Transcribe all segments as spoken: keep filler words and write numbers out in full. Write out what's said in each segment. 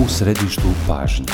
U središtu pažnje.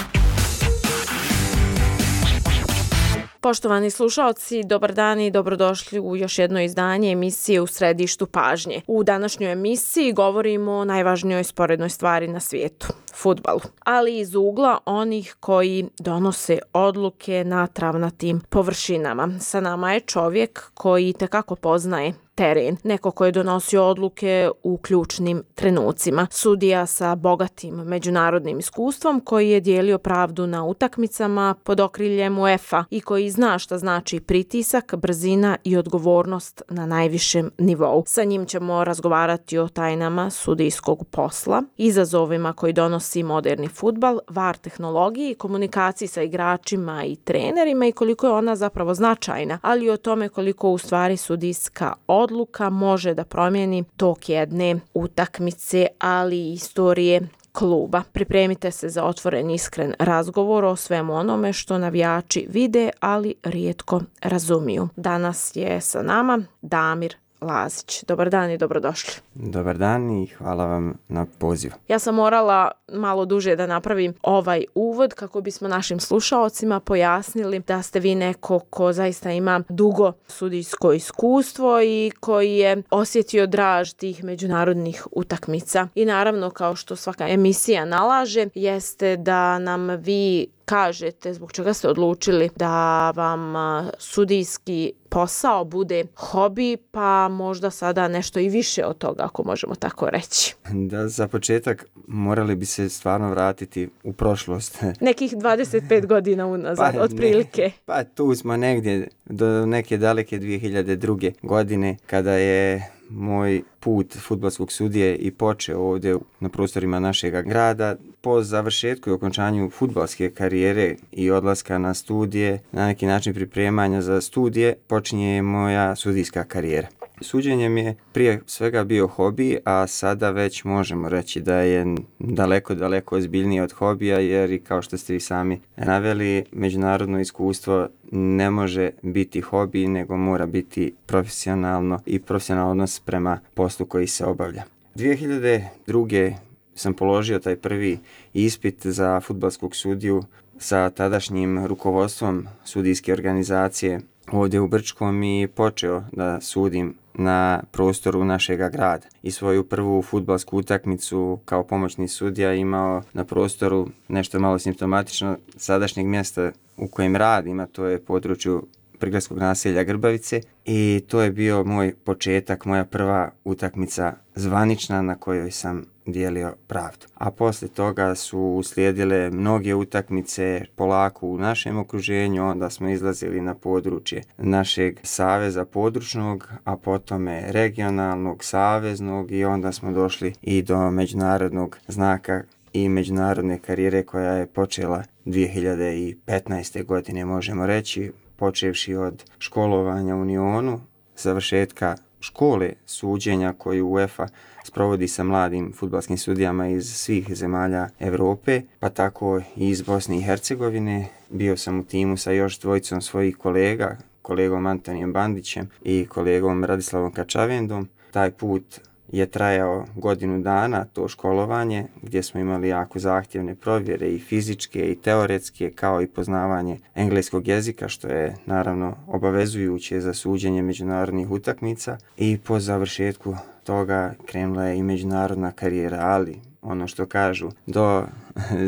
Poštovani slušaoci, dobar dan i dobrodošli u još jedno izdanje emisije U središtu pažnje. U današnjoj emisiji govorimo o najvažnijoj sporednoj stvari na svijetu, fudbalu, ali iz ugla onih koji donose odluke na travnatim površinama. Sa nama je čovjek koji tekako poznaje teren, neko koji je donosio odluke u ključnim trenucima. Sudija sa bogatim međunarodnim iskustvom koji je dijelio pravdu na utakmicama pod okriljem UEFA i koji zna šta znači pritisak, brzina i odgovornost na najvišem nivou. Sa njim ćemo razgovarati o tajnama sudijskog posla, izazovima koji donosi moderni fudbal, var tehnologiji, komunikaciji sa igračima i trenerima i koliko je ona zapravo značajna, ali i o tome koliko u stvari sudijska odluka može da promijeni tok jedne utakmice, ali i istorije kluba. Pripremite se za otvoren iskren razgovor o svemu onome što navijači vide, ali rijetko razumiju. Danas je sa nama Damir Lazić. Dobar dan i dobrodošli. Dobar dan i hvala vam na pozivu. Ja sam morala malo duže da napravim ovaj uvod kako bismo našim slušaocima pojasnili da ste vi neko ko zaista ima dugo sudijsko iskustvo i koji je osjetio draž tih međunarodnih utakmica. I naravno, kao što svaka emisija nalaže, jeste da nam vi kažete zbog čega ste odlučili da vam sudijski posao bude hobi, pa možda sada nešto i više od toga, ako možemo tako reći. Da, za početak morali bi se stvarno vratiti u prošlost. Nekih dvadeset pet godina unazad, pa, otprilike. Ne, pa tu smo negdje do neke daleke dvije hiljade druge. godine kada je moj put fudbalskog sudije i počeo ovdje na prostorima našega grada. Po završetku i okončanju fudbalske karijere i odlaska na studije, na neki način pripremanja za studije, počinje moja sudijska karijera. Suđenje mi je prije svega bio hobi, a sada već možemo reći da je daleko, daleko ozbiljnije od hobija, jer i kao što ste vi sami naveli, međunarodno iskustvo ne može biti hobi, nego mora biti profesionalno i profesionalno odnos prema poslu koji se obavlja. dvije hiljade druge sam položio taj prvi ispit za fudbalskog sudiju sa tadašnjim rukovodstvom sudijske organizacije ovdje u Brčkom i počeo da sudim na prostoru našega grada. I svoju prvu fudbalsku utakmicu kao pomoćni sudija imao na prostoru nešto malo simptomatično sadašnjeg mjesta u kojem radim, a to je području prigradskog naselja Grbavice, i to je bio moj početak, moja prva utakmica zvanična na kojoj sam dijelio pravdu. A poslije toga su uslijedile mnoge utakmice polako u našem okruženju, onda smo izlazili na područje našeg saveza područnog, a potom regionalnog, saveznog, i onda smo došli i do međunarodnog znaka i međunarodne karijere koja je počela dvije hiljade petnaeste. godine, možemo reći, počevši od školovanja u Unionu, završetka škole suđenja koju UEFA sprovodi sa mladim fudbalskim sudijama iz svih zemalja Europe, pa tako i iz Bosne i Hercegovine. Bio sam u timu sa još dvojicom svojih kolega, kolegom Antonijem Bandićem i kolegom Radislavom Kačavendom. Taj put je trajao godinu dana, to školovanje, gdje smo imali jako zahtjevne provjere i fizičke i teoretske, kao i poznavanje engleskog jezika, što je naravno obavezujuće za suđenje međunarodnih utakmica. I po završetku toga krenula je i međunarodna karijera, ali ono što kažu, do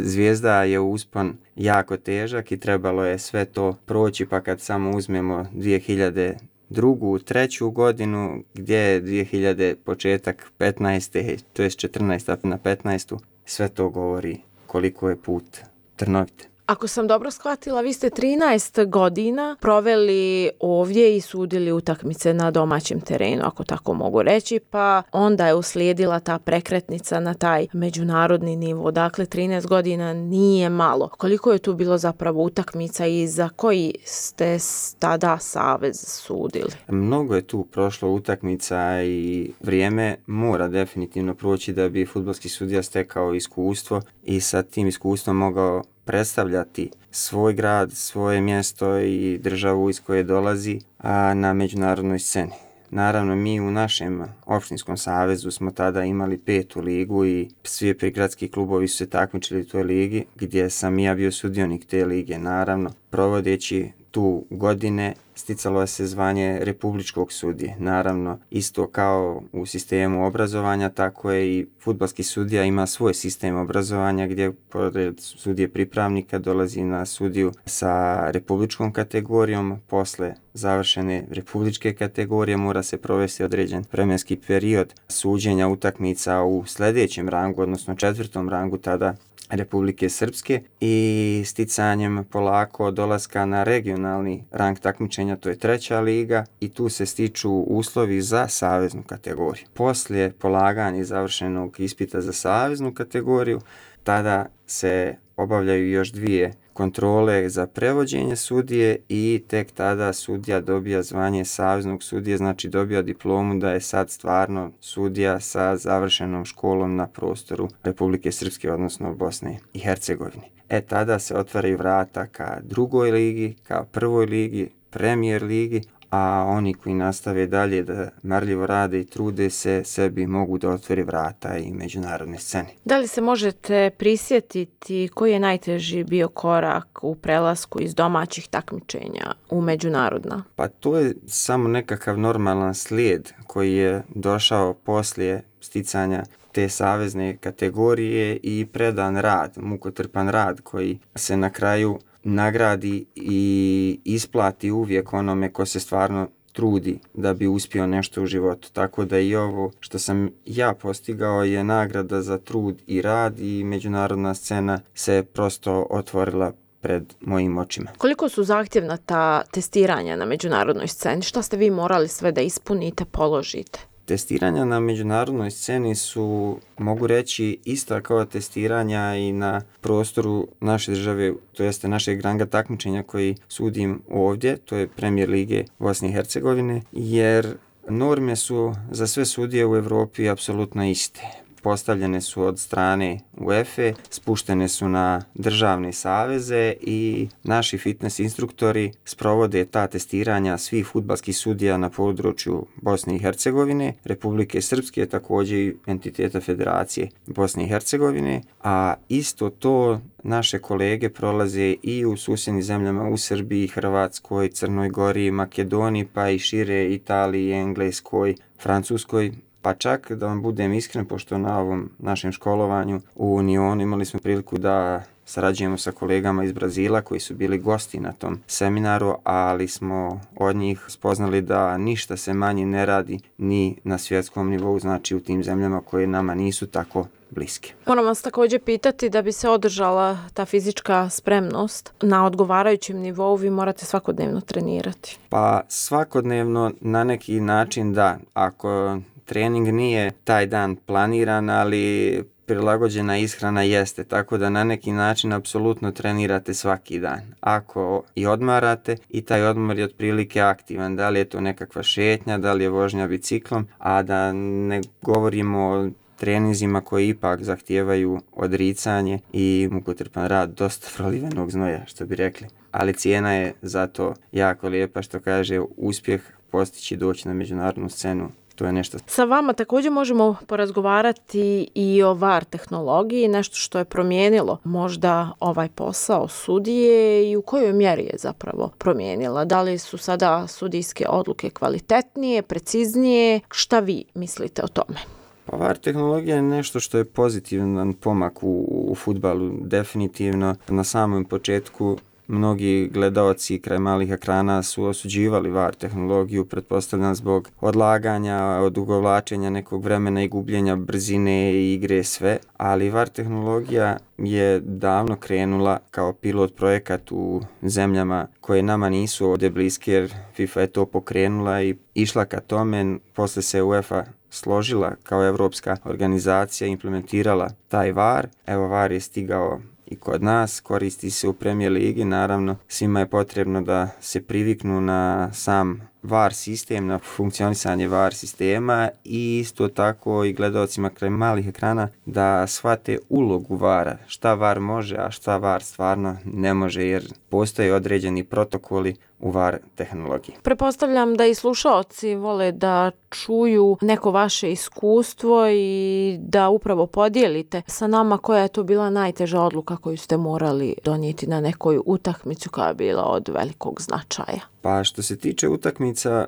zvijezda je uspon jako težak i trebalo je sve to proći, pa kad samo uzmemo dvije hiljade drugu, treću godinu, gdje je dvije hiljade početak petnaeste, to je četrnaesta na petnaestu, sve to govori koliko je put trnovit. Ako sam dobro shvatila, vi ste trinaest godina proveli ovdje i sudili utakmice na domaćem terenu, ako tako mogu reći, pa onda je uslijedila ta prekretnica na taj međunarodni nivo. Dakle, trinaest godina nije malo. Koliko je tu bilo zapravo utakmica i za koji ste tada savez sudili? Mnogo je tu prošlo utakmica i vrijeme mora definitivno proći da bi fudbalski sudija stekao iskustvo i sa tim iskustvom mogao predstavljati svoj grad, svoje mjesto i državu iz koje dolazi, a na međunarodnoj sceni. naravno mi u našem opštinskom savezu smo tada imali petu ligu i svi prigradski klubovi su se takmičili u toj ligi, gdje sam ja bio sudionik te lige. Naravno, provodeći tu godine sticalo se zvanje republičkog sudije. Naravno, isto kao u sistemu obrazovanja, tako je i fudbalski sudija ima svoj sistem obrazovanja gdje pored sudije pripravnika dolazi na sudiju sa republičkom kategorijom. Posle završene republičke kategorije mora se provesti određen vremenski period suđenja utakmica u sljedećem rangu, odnosno četvrtom rangu tada Republike Srpske, i sticanjem polako dolaska na regionalni rang takmičenja, to je treća liga, i tu se stiču uslovi za saveznu kategoriju. Poslije polaganja završenog ispita za saveznu kategoriju, tada se obavljaju još dvije kontrole za prevođenje sudije i tek tada sudija dobija zvanje saveznog sudije, znači dobija diplomu da je sad stvarno sudija sa završenom školom na prostoru Republike Srpske, odnosno Bosne i Hercegovine. E tada se otvaraju vrata ka drugoj ligi, ka prvoj ligi, premijer ligi, a oni koji nastave dalje da marljivo rade i trude se, sebi mogu da otvori vrata i međunarodne scene. Da li se možete prisjetiti koji je najteži bio korak u prelasku iz domaćih takmičenja u međunarodna? Pa to je samo nekakav normalan slijed koji je došao poslije sticanja te savezne kategorije i predan rad, mukotrpan rad koji se na kraju nagradi i isplati uvijek onome ko se stvarno trudi da bi uspio nešto u životu. Tako da i ovo što sam ja postigao je nagrada za trud i rad i međunarodna scena se prosto otvorila pred mojim očima. Koliko su zahtjevna ta testiranja na međunarodnoj sceni? Šta ste vi morali sve da ispunite, položite? Testiranja na međunarodnoj sceni su, mogu reći, ista kao testiranja i na prostoru naše države, to jeste našeg ranga takmičenja koji sudim ovdje, to je Premijer lige Bosne i Hercegovine, jer norme su za sve sudije u Europi apsolutno iste. Postavljene su od strane UEFA, spuštene su na državne saveze i naši fitness instruktori sprovode ta testiranja svih fudbalskih sudija na području Bosne i Hercegovine, Republike Srpske, također i entiteta Federacije Bosne i Hercegovine, a isto to naše kolege prolaze i u susjednim zemljama, u Srbiji, Hrvatskoj, Crnoj Gori, Makedoniji, pa i šire Italiji, Engleskoj, Francuskoj. Pa čak da vam budem iskren, pošto na ovom našem školovanju u Unionu imali smo priliku da sarađujemo sa kolegama iz Brazila koji su bili gosti na tom seminaru, ali smo od njih spoznali da ništa se manje ne radi ni na svjetskom nivou, znači u tim zemljama koje nama nisu tako bliske. Moram vas također pitati, da bi se održala ta fizička spremnost na odgovarajućem nivou, vi morate svakodnevno trenirati. Pa svakodnevno na neki način da, ako trening nije taj dan planiran, ali prilagođena ishrana jeste, tako da na neki način apsolutno trenirate svaki dan. Ako i odmarate, i taj odmor je otprilike aktivan, da li je to nekakva šetnja, da li je vožnja biciklom, a da ne govorimo o treninzima koji ipak zahtijevaju odricanje i mukotrpan rad, dosta prolivenog znoja, što bi rekli. Ali cijena je zato jako lijepa, što kaže, uspjeh postići doći na međunarodnu scenu. To je nešto. Sa vama također možemo porazgovarati i o V A R tehnologiji, nešto što je promijenilo možda ovaj posao sudije i u kojoj mjeri je zapravo promijenila. Da li su sada sudijske odluke kvalitetnije, preciznije? Šta vi mislite o tome? Pa V A R tehnologija je nešto što je pozitivan pomak u, u fudbalu, definitivno. Na samom početku mnogi gledaoci kraj malih ekrana su osuđivali V A R tehnologiju, pretpostavljam zbog odlaganja, odugovlačenja nekog vremena i gubljenja brzine i igre, sve. Ali V A R tehnologija je davno krenula kao pilot projekat u zemljama koje nama nisu ovdje bliske, jer FIFA je to pokrenula i išla ka tome. Posle se UEFA složila kao evropska organizacija, implementirala taj V A R. Evo, V A R je stigao i kod nas, koristi se u Premijer ligi, naravno svima je potrebno da se priviknu na sam V A R sistem, na funkcionisanje V A R sistema i isto tako i gledalcima kraj malih ekrana da shvate ulogu V A R-a, šta V A R može, a šta V A R stvarno ne može, jer postoje određeni protokoli u V A R tehnologiji. Prepostavljam da i slušaoci vole da čuju neko vaše iskustvo i da upravo podijelite sa nama koja je to bila najteža odluka koju ste morali donijeti na nekoj utakmici koja je bila od velikog značaja. Pa što se tiče utakmica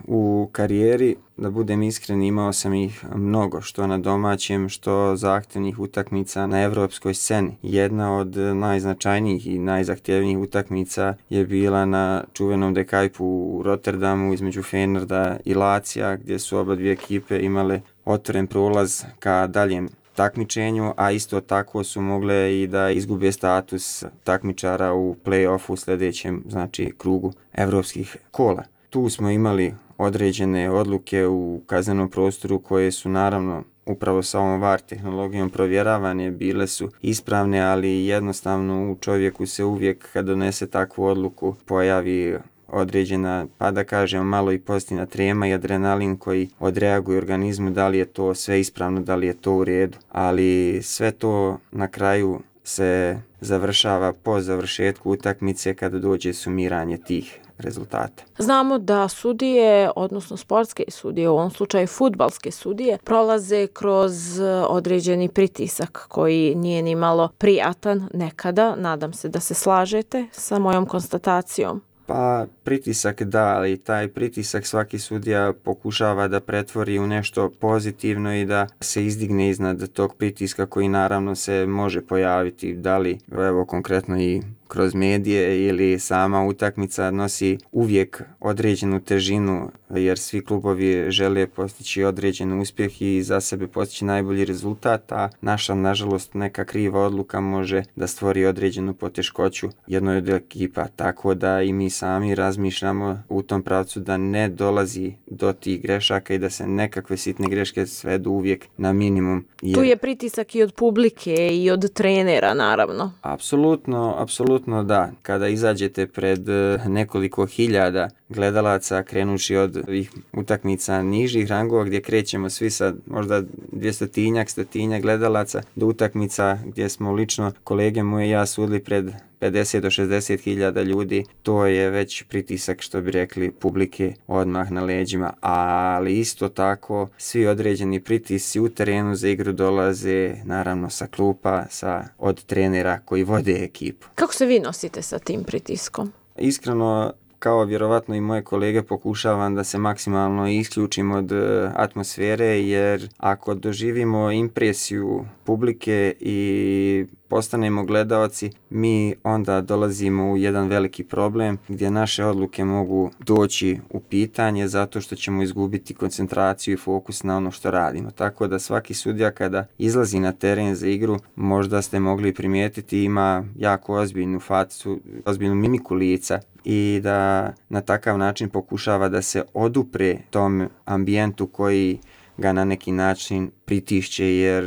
u karijeri, da budem iskren, imao sam ih mnogo, što na domaćem, što zahtjevnih utakmica na evropskoj sceni. Jedna od najznačajnijih i najzahtjevnijih utakmica je bila na čuvenom dekajpu u Rotterdamu između Feyenoorda i Lazija, gdje su oba dvije ekipe imale otvoren prolaz ka daljem takmičenju, a isto tako su mogle i da izgube status takmičara u play-offu u sljedećem, znači, krugu evropskih kola. Tu smo imali određene odluke u kaznenom prostoru koje su naravno upravo sa ovom V A R tehnologijom provjeravane, bile su ispravne, ali jednostavno u čovjeku se uvijek kad donese takvu odluku pojavi određena, pa da kažem, malo i pozitivna trema i adrenalin koji odreaguje organizmu, da li je to sve ispravno, da li je to u redu, ali sve to na kraju se završava po završetku utakmice kada dođe sumiranje tih rezultata. Znamo da sudije, odnosno sportske sudije, u ovom slučaju fudbalske sudije, prolaze kroz određeni pritisak koji nije ni malo prijatan nekada. Nadam se da se slažete sa mojom konstatacijom. Pa pritisak da, ali taj pritisak svaki sudija pokušava da pretvori u nešto pozitivno i da se izdigne iznad tog pritiska koji naravno se može pojaviti, da li evo konkretno i kroz medije ili sama utakmica nosi uvijek određenu težinu, jer svi klubovi žele postići određen uspjeh i za sebe postići najbolji rezultat, a naša, nažalost, neka kriva odluka može da stvori određenu poteškoću jednoj od ekipa, tako da i mi sami razmišljamo u tom pravcu da ne dolazi do tih grešaka i da se nekakve sitne greške svedu uvijek na minimum. Jer... Tu je pritisak i od publike i od trenera, naravno. Apsolutno, apsolutno da. Kada izađete pred nekoliko hiljada gledalaca, krenući od ovih utakmica nižih rangova gdje krećemo svi sa možda dvjestotinjak, stotinjak gledalaca, do utakmica gdje smo lično kolege moje i ja sudili pred pedeset do šezdeset hiljada ljudi, to je već pritisak, što bi rekli, publike odmah na leđima, ali isto tako svi određeni pritisci u terenu za igru dolaze naravno sa klupa, sa, od trenera koji vode ekipu. Kako se vi nosite sa tim pritiskom? Iskreno, kao vjerovatno i moje kolege, pokušavam da se maksimalno isključim od atmosfere, jer ako doživimo impresiju publike i postanemo gledaoci, mi onda dolazimo u jedan veliki problem gdje naše odluke mogu doći u pitanje zato što ćemo izgubiti koncentraciju i fokus na ono što radimo. Tako da svaki sudija kada izlazi na teren za igru, možda ste mogli primijetiti, ima jako ozbiljnu facu, ozbiljnu mimiku lica i da na takav način pokušava da se odupre tom ambijentu koji ga na neki način pritišće, jer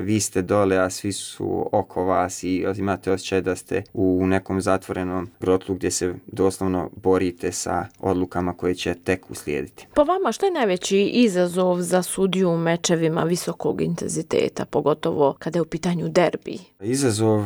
vi ste dole, a svi su oko vas i imate osjećaj da ste u nekom zatvorenom grotlu gdje se doslovno borite sa odlukama koje će tek uslijediti. Po vama, što je najveći izazov za sudiju u mečevima visokog intenziteta, pogotovo kada je u pitanju derbi? Izazov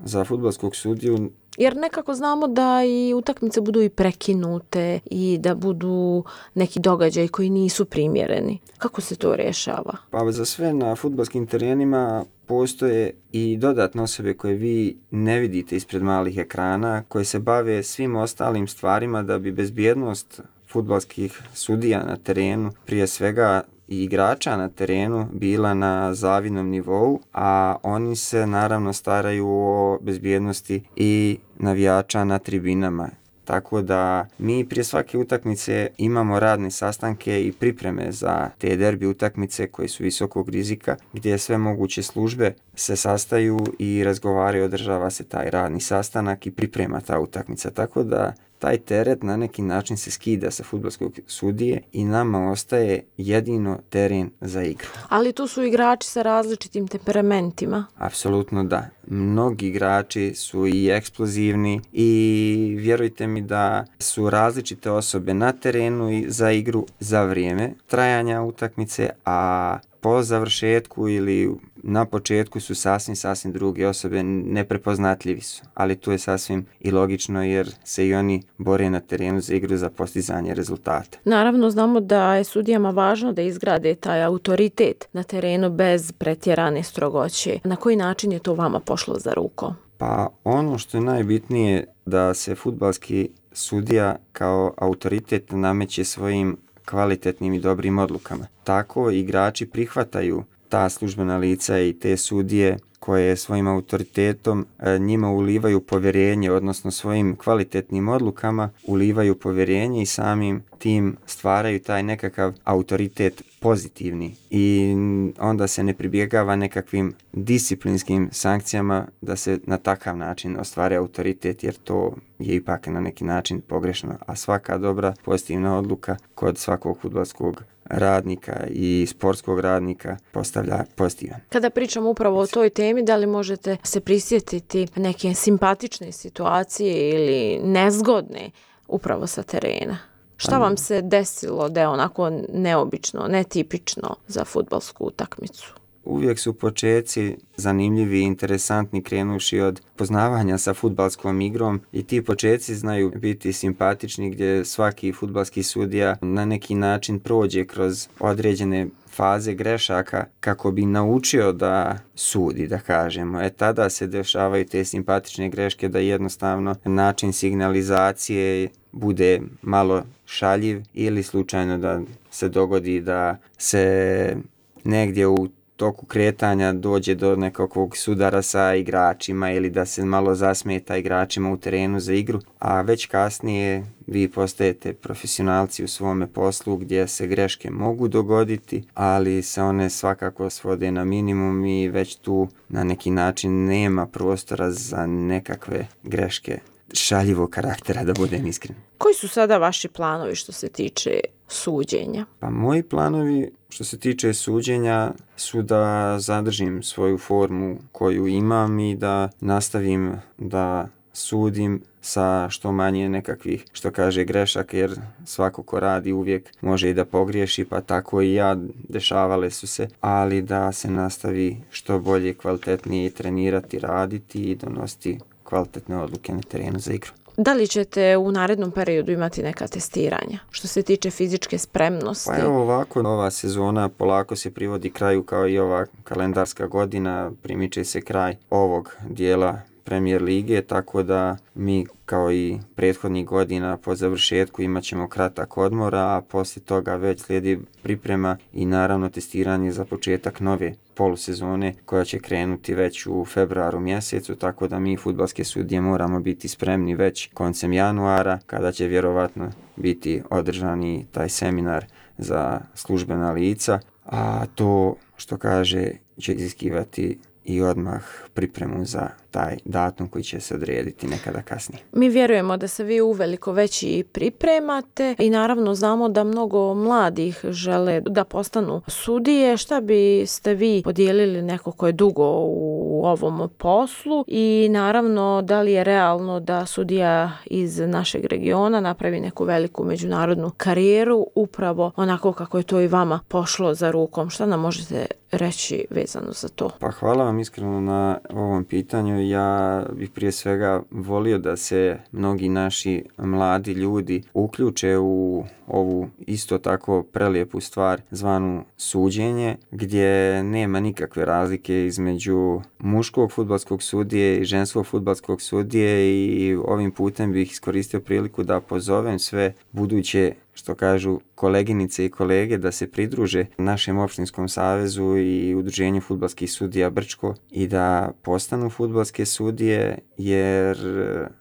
za fudbalskog sudiju, jer nekako znamo da i utakmice budu i prekinute i da budu neki događaji koji nisu primjereni. Kako se to rješava? Pa za sve na fudbalskim terenima postoje i dodatne osobe koje vi ne vidite ispred malih ekrana, koje se bave svim ostalim stvarima da bi bezbjednost fudbalskih sudija na terenu, prije svega i igrača na terenu, bila na zavidnom nivou, a oni se naravno staraju o bezbjednosti i navijača na tribinama. Tako da mi prije svake utakmice imamo radne sastanke i pripreme za te derbi utakmice koje su visokog rizika, gdje sve moguće službe se sastaju i razgovaraju, održava se taj radni sastanak i priprema ta utakmica. Tako da taj teret na neki način se skida sa fudbalskog sudije i nama ostaje jedino teren za igru. Ali tu su igrači sa različitim temperamentima. Apsolutno da. Mnogi igrači su i eksplozivni i vjerujte mi da su različite osobe na terenu i za igru za vrijeme trajanja utakmice, a po završetku ili na početku su sasvim, sasvim druge osobe, neprepoznatljivi su. Ali tu je sasvim i logično jer se i oni bore na terenu za igru za postizanje rezultata. Naravno, znamo da je sudijama važno da izgrade taj autoritet na terenu bez pretjerane strogoće. Na koji način je to vama pošlo za rukom? Pa ono što je najbitnije da se fudbalski sudija kao autoritet nameće svojim kvalitetnim i dobrim odlukama. Tako igrači prihvataju ta službena lica i te sudije koje svojim autoritetom njima ulivaju povjerenje, odnosno svojim kvalitetnim odlukama ulivaju povjerenje i samim tim stvaraju taj nekakav autoritet pozitivni. I onda se ne pribjegava nekakvim disciplinskim sankcijama da se na takav način ostvari autoritet, jer to je ipak na neki način pogrešno. A svaka dobra pozitivna odluka kod svakog fudbalskog radnika i sportskog radnika postavlja pozitivan. Kada pričamo upravo o toj temi, da li možete se prisjetiti neke simpatične situacije ili nezgodne upravo sa terena? Šta vam se desilo da je onako neobično, netipično za fudbalsku utakmicu? Uvijek su počeci zanimljivi i interesantni krenuši od poznavanja sa fudbalskom igrom i ti počeci znaju biti simpatični gdje svaki fudbalski sudija na neki način prođe kroz određene faze grešaka kako bi naučio da sudi, da kažemo. E tada se dešavaju te simpatične greške da jednostavno način signalizacije bude malo šaljiv ili slučajno da se dogodi da se negdje u toku kretanja dođe do nekakvog sudara sa igračima ili da se malo zasmeta igračima u terenu za igru, a već kasnije vi postajete profesionalci u svome poslu gdje se greške mogu dogoditi, ali se one svakako svode na minimum i već tu na neki način nema prostora za nekakve greške šaljivog karaktera, da budem iskren. Koji su sada vaši planovi što se tiče suđenja? Pa moji planovi što se tiče suđenja su da zadržim svoju formu koju imam i da nastavim da sudim sa što manje nekakvih, što kaže, grešaka, jer svako ko radi uvijek može i da pogriješi, pa tako i ja, dešavale su se, ali da se nastavi što bolje, kvalitetnije trenirati, raditi i donositi kvalitetne odluke na terenu za igru. Da li ćete u narednom periodu imati neka testiranja što se tiče fizičke spremnosti? Pa evo ovako, ova sezona polako se privodi kraju kao i ova kalendarska godina, primiče se kraj ovog dijela Premier lige, tako da mi kao i prethodnih godina po završetku imat ćemo kratak odmor, a poslije toga već slijedi priprema i naravno testiranje za početak nove polusezone koja će krenuti već u februaru mjesecu, tako da mi fudbalske sudije moramo biti spremni već koncem januara kada će vjerovatno biti održani taj seminar za službena lica, a to što kaže će iziskivati i odmah pripremu za taj datum koji će se odrediti nekada kasnije. Mi vjerujemo da se vi uveliko već i pripremate i naravno znamo da mnogo mladih žele da postanu sudije. Šta biste vi podijelili neko ko je dugo u ovom poslu i naravno da li je realno da sudija iz našeg regiona napravi neku veliku međunarodnu karijeru upravo onako kako je to i vama pošlo za rukom? Šta nam možete reći vezano za to? Pa hvala vam iskreno na ovom pitanju. Ja bih prije svega volio da se mnogi naši mladi ljudi uključe u ovu isto tako prelijepu stvar zvanu suđenje, gdje nema nikakve razlike između muškog fudbalskog sudije i ženskog fudbalskog sudije i ovim putem bih iskoristio priliku da pozovem sve buduće, što kažu, koleginice i kolege da se pridruže našem opštinskom savezu i udruženju fudbalskih sudija Brčko i da postanu fudbalske sudije jer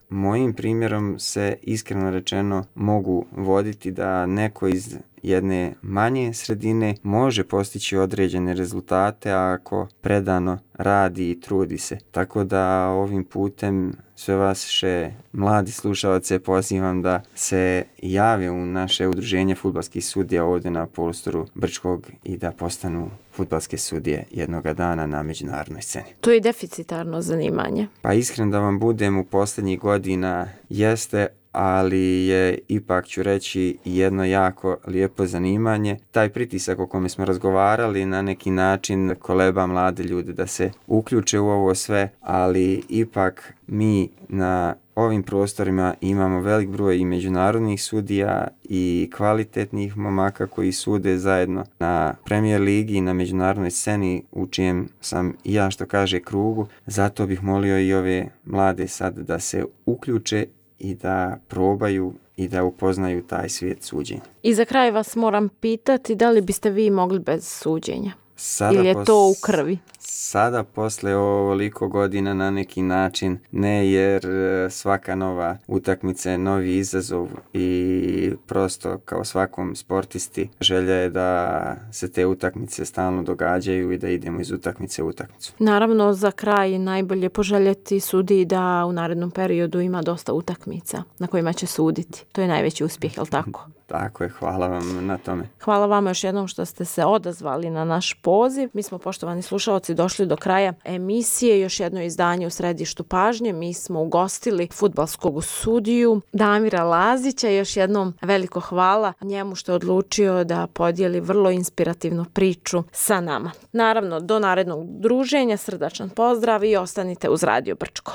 mojim primjerom se iskreno rečeno mogu voditi da neko iz jedne manje sredine može postići određene rezultate ako predano radi i trudi se. Tako da ovim putem sve vaše mladi slušalce pozivam da se jave u naše udruženje fudbalskih sudija ovdje na prostoru Brčkog i da postanu fudbalske sudije jednoga dana na međunarodnoj sceni. To je deficitarno zanimanje. Pa iskreno da vam budem, u posljednjih godina jeste, ali je, ipak ću reći, jedno jako lijepo zanimanje. Taj pritisak o kome smo razgovarali na neki način koleba mlade ljude da se uključe u ovo sve, ali ipak mi na ovim prostorima imamo velik broj i međunarodnih sudija i kvalitetnih momaka koji sude zajedno na Premier ligi i na međunarodnoj sceni u čijem sam i ja, što kaže, krugu. Zato bih molio i ove mlade sad da se uključe i da probaju i da upoznaju taj svijet suđenja. I za kraj vas moram pitati, da li biste vi mogli bez suđenja? Sada ili je pos... to u krvi? Sada, posle ovoliko godina, na neki način ne, jer svaka nova utakmica je novi izazov i prosto kao svakom sportisti želja je da se te utakmice stalno događaju i da idemo iz utakmice u utakmicu. Naravno, za kraj najbolje poželjeti sudiji da u narednom periodu ima dosta utakmica na kojima će suditi. To je najveći uspjeh, je li tako? Tako je, hvala vam na tome. Hvala vama još jednom što ste se odazvali na naš poziv. Mi smo, poštovani slušalci, došli do kraja emisije. Još jedno izdanje u središtu pažnje. Mi smo ugostili fudbalskog sudiju Damira Lazića. Još jednom veliko hvala njemu što je odlučio da podijeli vrlo inspirativnu priču sa nama. Naravno, do narednog druženja, srdačan pozdrav i ostanite uz Radio Brčko.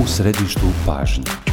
U središtu pažnje.